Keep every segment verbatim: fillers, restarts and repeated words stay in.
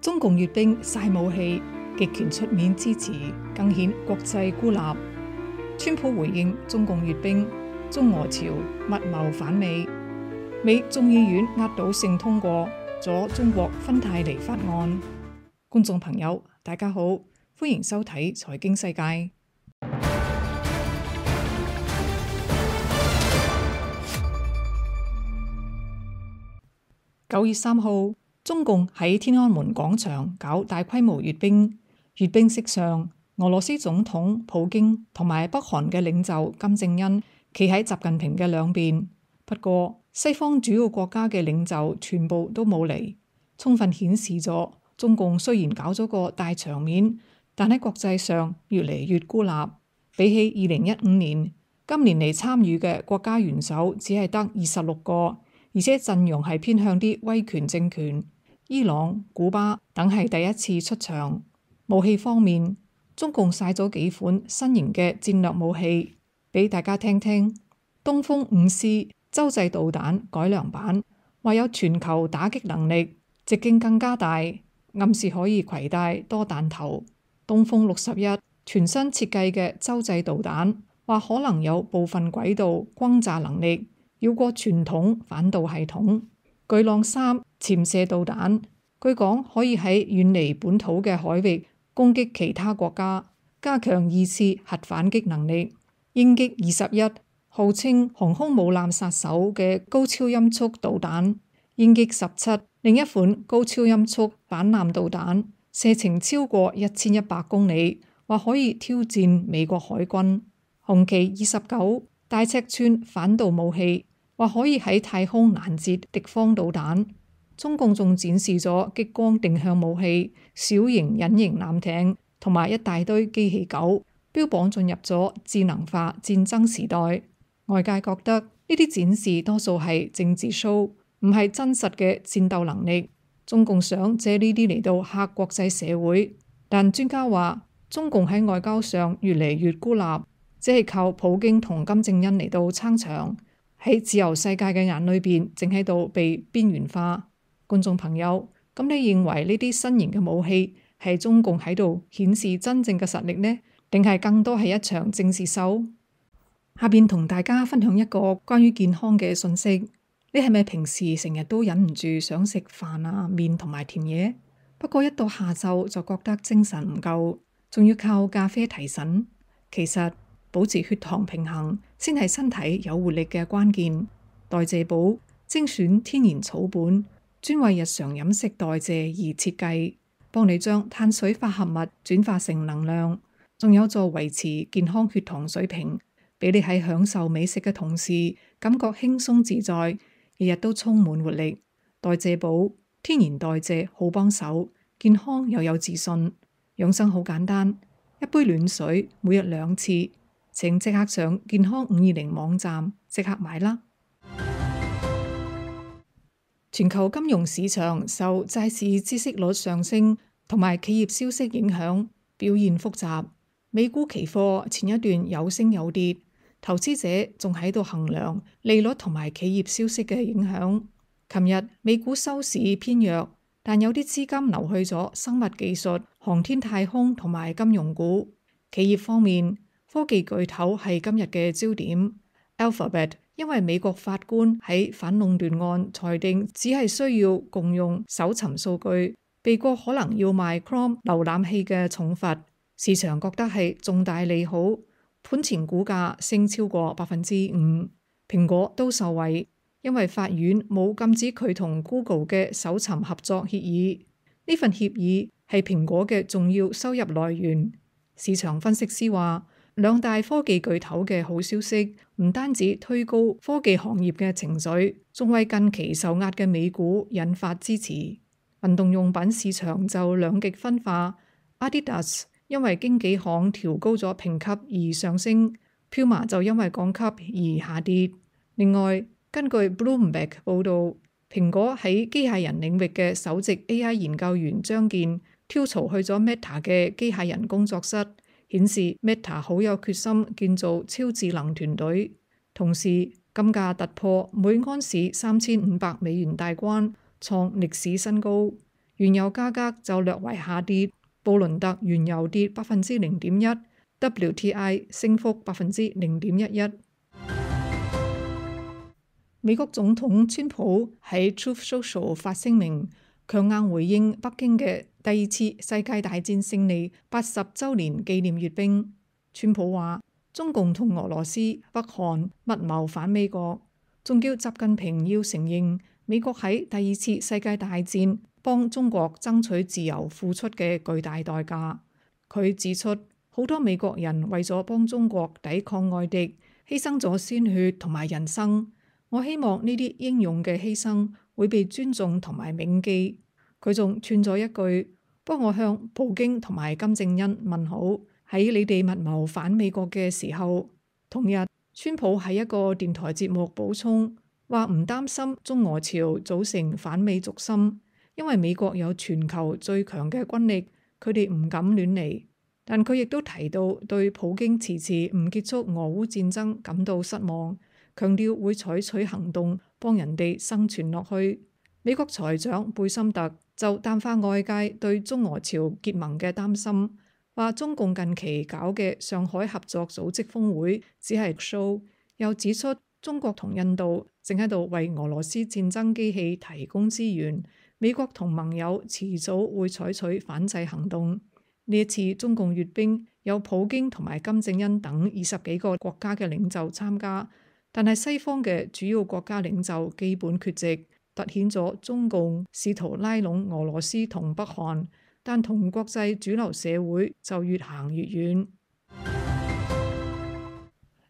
中共閱兵晒武器，極權出面支持，更顯國際孤立。川普回應中共閱兵，中俄朝密謀反美。美眾議院壓倒性通過咗中國芬太尼法案。觀眾朋友，大家好，歡迎收睇財經世界。九月三號，中共喺天安門廣場搞大規模閱兵。閱兵式上，俄羅斯總統普京同埋北韓嘅領袖金正恩企喺習近平嘅兩邊。不過，西方主要國家嘅領袖全部都冇嚟，充分顯示咗中共雖然搞咗個大場面，但喺國際上越嚟越孤立。比起二零一五年，今年嚟參與嘅國家元首只係得二十六個。而且陣容係偏向啲威權政權，伊朗、古巴等係第一次出場。武器方面，中共晒咗幾款新型嘅戰略武器俾大家聽聽。東風五 C 洲際導彈改良版，話有全球打擊能力，直徑更加大，暗示可以攜帶多彈頭。東風六十一全新設計嘅洲際導彈，話可能有部分軌道轟炸能力，繞過傳統反導系統。巨浪三潛射導彈，據講可以喺遠離本土嘅海域攻擊其他國家，加強二次核反擊能力。鷹擊二十一號稱航空母艦殺手嘅高超音速導彈。鷹擊十七另一款高超音速反艦導彈，射程超過一千一百公里，話可以挑戰美國海軍。紅旗二十九大尺寸反導武器，話可以喺太空攔截敵方導彈。中共仲展示咗激光定向武器、小型隱形艦艇同埋一大堆機器狗，標榜進入咗智能化戰爭時代。外界覺得呢啲展示多數係政治 show，唔係真實嘅戰鬥能力。中共想借呢啲嚟到嚇國際社會，但專家話中共喺外交上越嚟越孤立，只係靠普京同金正恩嚟到撐場。喺自由世界嘅眼裏邊，正喺度被邊緣化。觀眾朋友，咁你認為呢啲新型嘅武器係中共喺度顯示真正嘅實力呢？定係更多係一場政治秀？下邊同大家分享一個關於健康嘅信息。你係咪平時成日都忍唔住想食飯啊、麵同埋甜嘢？不過一到下晝就覺得精神唔夠，仲要靠咖啡提神。其實保持血糖平衡先係身體有活力嘅關鍵。代謝寶精選天然草本，專為日常飲食代謝而設計，幫你將碳水化合物轉化成能量，仲有助維持健康血糖水平，俾你喺享受美食嘅同時感覺輕鬆自在，日日都充滿活力。代謝寶天然代謝好幫手，健康又有自信。養生好簡單，一杯暖水每日兩次。請即刻上健康五二零網站即刻買啦！全球金融市場受債市孳息率上升同埋企業消息影響，表現複雜。美股期貨前一段有升有跌，投資者仲喺度衡量利率同埋企業消息嘅影響。琴日美股收市偏弱，但有啲資金流去咗生物技術、航天太空同埋金融股。企業方面，科技巨頭係今日嘅焦點。Alphabet 因為美國法官喺反壟斷案裁定只係需要共用搜尋數據，避過可能要賣 Chrome 瀏覽器嘅重罰。市場覺得係重大利好，盤前股價升超過百分之五。蘋果都受惠，因為法院冇禁止佢同 Google 嘅搜尋合作協議。呢份協議係蘋果嘅重要收入來源。市場分析師話，兩大科技巨頭嘅好消息唔單止推高科技行業嘅情緒，仲為近期受壓嘅美股引發支持。運動用品市場就兩極分化，Adidas 因為經紀行調高咗評級而上升， Puma 就因為降級而下跌。另外，根據 Bloomberg 報導，蘋果喺機械人領域嘅首席 A I 研究員張健跳槽去咗 Meta 嘅機械人工作室，顯示 Meta 好有決心建造超智能團隊。同時，金價突破每盎司三千五百美元大關，創歷史新高。原油價格就略為下跌，布倫特原油跌百分之零點一 ，W T I 升幅百分之零點一一。美國總統川普喺 Truth Social 發聲明，強硬回應北京嘅第二次世界大戰勝利八十週年紀念閱兵。川普話：中共同俄羅斯、北韓密謀反美國，仲叫習近平要承認美國喺第二次世界大戰幫中國爭取自由付出嘅巨大代價。佢指出，好多美國人為咗幫中國抵抗外敵，犧牲咗鮮血同埋人生。我希望呢啲英勇嘅犧牲會被尊重同埋銘記。佢仲串咗一句：幫我向普京同埋金正恩問好，喺你哋密謀反美國嘅時候。同日，川普喺一個電台節目補充話唔擔心中俄朝組成反美軸心，因為美國有全球最強嘅軍力，佢哋唔敢亂嚟。但佢亦都提到對普京遲遲唔結束俄烏戰爭感到失望，強調會採取行動幫人哋生存落去。美國財長貝森特就淡化外界對中俄朝結盟嘅擔心，話中共近期搞嘅上海合作組織峰會只係 show， 又指出中國同印度正喺度為俄羅斯戰爭機器提供資源，美國同盟友遲早會採取反制行動。呢一次中共閱兵有普京同埋金正恩等二十幾個國家嘅領袖參加，但係西方嘅主要國家領袖基本缺席，凸顯咗中共試圖拉攏俄羅斯同北韓，但同國際主流社會就越行越遠。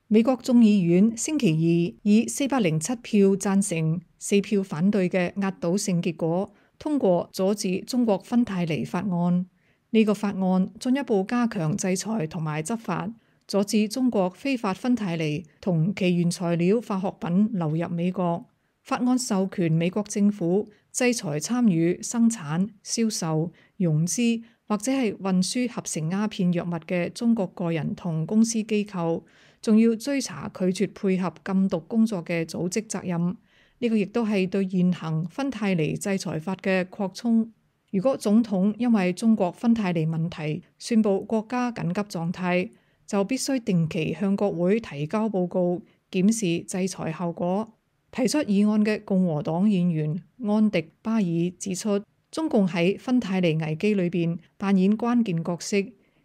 美國眾議院星期二以四百零七票贊成、四票反對嘅壓倒性結果通過阻止中國芬太尼法案。呢個法案進一步加強制裁同埋執法，阻止中國非法芬太尼同其原材料化學品流入美國。法案授權美國政府制裁參與生產、銷售、融資或者係運輸合成鴉片藥物嘅中國個人同公司機構，仲要追查拒絕配合禁毒工作嘅組織責任。呢個亦都係對現行芬太尼制裁法嘅擴充。如果總統因為中國芬太尼問題宣布國家緊急狀態，就必須定期向國會提交報告，檢視制裁後果。提出議案嘅共和黨議員安迪巴爾指出，中共喺芬太尼危機裏邊扮演關鍵角色，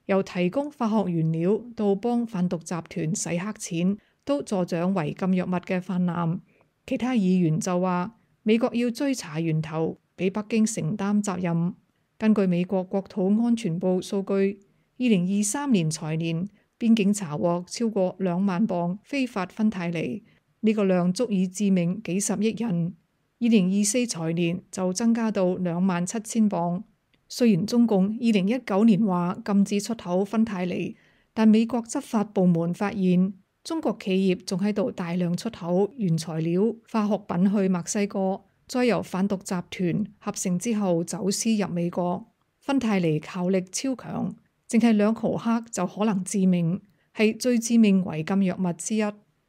由提供化學原料到幫販毒集團洗黑錢，都助長違禁藥物嘅氾濫。其他議員就話，美國要追查源頭，俾北京承擔責任。根據美國國土安全部數據，二零二三年財年邊境查獲超過兩萬磅非法芬太尼，呢個量足以致命幾十億人。二零二四財年就增加到兩萬七千磅。雖然中共二零一九年話禁止出口芬太尼，但美國執法部門發現中國企業仲喺度大量出口原材料化學品去墨西哥，再由販毒集團合成之後走私入美國。芬太尼效力超強，淨係兩毫克就可能致命，係最致命違禁藥物之一。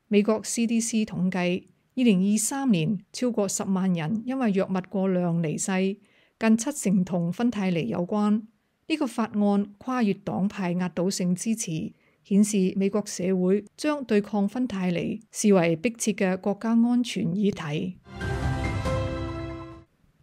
美國 C D C 統計，二零二三年超過十萬人因為藥物過量離世，近七成同芬太尼有關。呢、這個法案跨越黨派壓倒性支持，顯示美國社會將對抗芬太尼視為迫切嘅國家安全議題。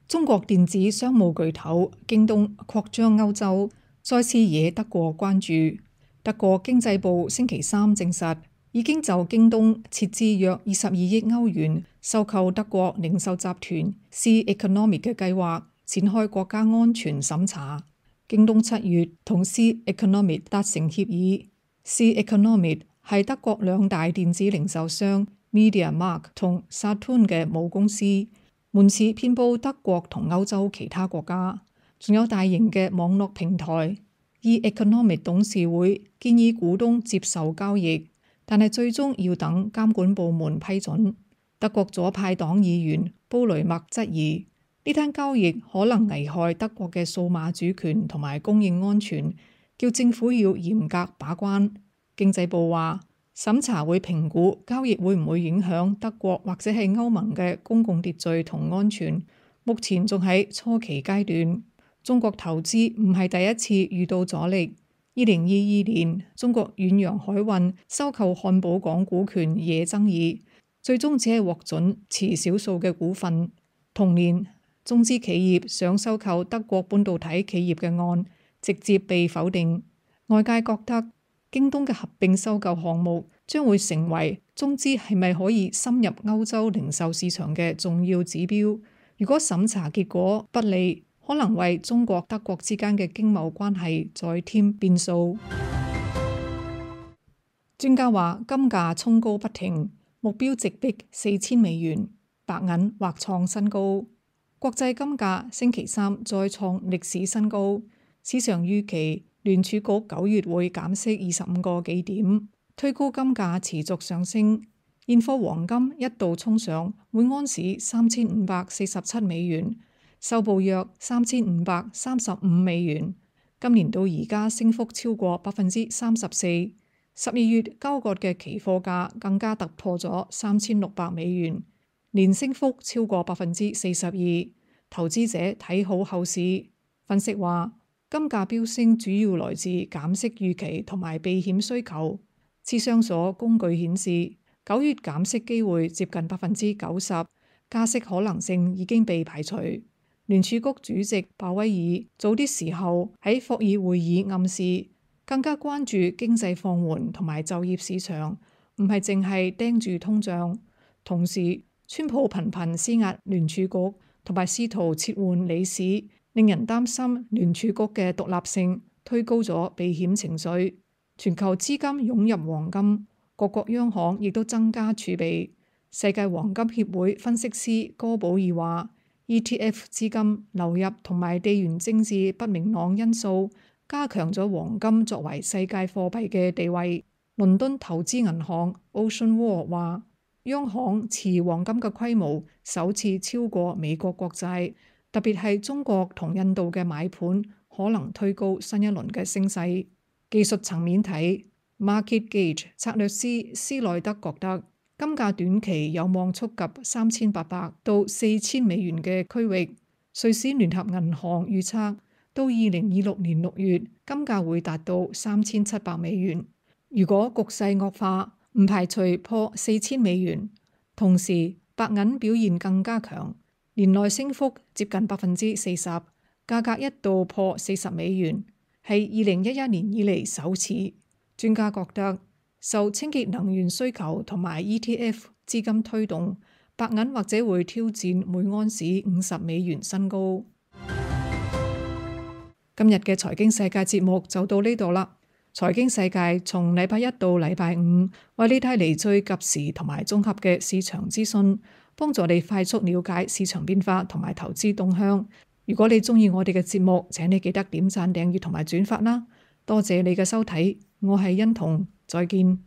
中國電子商務巨頭京東擴張歐洲，再次惹德國關注。德國經濟部星期三證實，已經就京東斥資約二十二億歐元收購德國零售集團 C Economic 嘅計劃展開國家安全審查。京東七月同 C Economic 達成協議。C Economic 係德國兩大電子零售商 MediaMarkt 同 Saturn 嘅母公司，門市遍佈德國同歐洲其他國家，仲有大型嘅網絡平台。E Economic 董事會建議股東接受交易，但係最終要等監管部門批准。德國左派黨議員布雷默質疑呢單交易可能危害德國嘅數碼主權同埋供應安全，叫政府要嚴格把關。經濟部話，審查會評估交易會唔會影響德國或者係歐盟嘅公共秩序同安全，目前仲喺初期階段。中國投資唔係第一次遇到阻力。二零二二年，中國遠洋海運收購漢堡港股權惹爭議，最終只係獲准持少數嘅股份。同年，中資企業想收購德國半導體企業嘅案直接被否定。外界覺得京東嘅合併收購項目將會成為中資係咪可以深入歐洲零售市場嘅重要指標。如果審查結果不利，可能為中國德國之間嘅經貿關係再添變數。專家話金價衝高不停，目標直逼四千美元，白銀或創新高。國際金價星期三再創歷史新高，市場預期聯儲局九月會減息二十五個基點，推高金價持續上升。現貨黃金一度衝上每安士三千五百四十七美元，收報約三千五百三十五美元。今年到而家升幅超過百分之三十四。十二月交割嘅期貨價更加突破咗三千六百美元，年升幅超過百分之四十二。投資者睇好後市，分析話金價飆升主要來自減息預期同埋避險需求。芝商所工具顯示，九月減息機會接近百分之九十，加息可能性已經被排除。聯儲局主席鮑威爾早啲時候喺霍爾會議暗示，更加關注經濟放緩同埋就業市場，唔係淨係盯住通脹。同時，川普頻頻施壓聯儲局，同埋試圖撤換理事，令人擔心聯儲局嘅獨立性，推高咗避險情緒。全球資金湧入黃金，各國央行亦都增加儲備。世界黃金協會分析師哥寶爾話，E T F 資金流入同埋地緣政治不明朗因素，加強咗黃金作為世界貨幣嘅地位。倫敦投資銀行 Ocean Wall 話，央行持黃金嘅規模首次超過美國國債，特別係中國同印度嘅買盤可能推高新一輪嘅升勢。技術層面睇，Market Gauge 策略師斯內德覺得金價短期有望觸及三千八百到四千美元嘅區域。瑞士聯合銀行預測到二零二六年六月，金價會達到三千七百美元。如果局勢惡化，唔排除破四千美元。同時，白銀表現更加強，年內升幅接近百分之四十，價格一度破四十美元，係二零一一年以嚟首次。專家覺得受清潔能源需求同埋 E T F 資金推動，白銀或者會挑戰每安士五十美元新高。今日嘅財經世界節目就到呢度啦。財經世界從禮拜一到禮拜五，為你帶嚟最及時同埋綜合嘅市場資訊，幫助你快速了解市場變化同埋投資動向。如果你中意我哋嘅節目，請你記得點讚、訂閱同埋轉發啦。多謝你嘅收睇，我係欣彤，再見。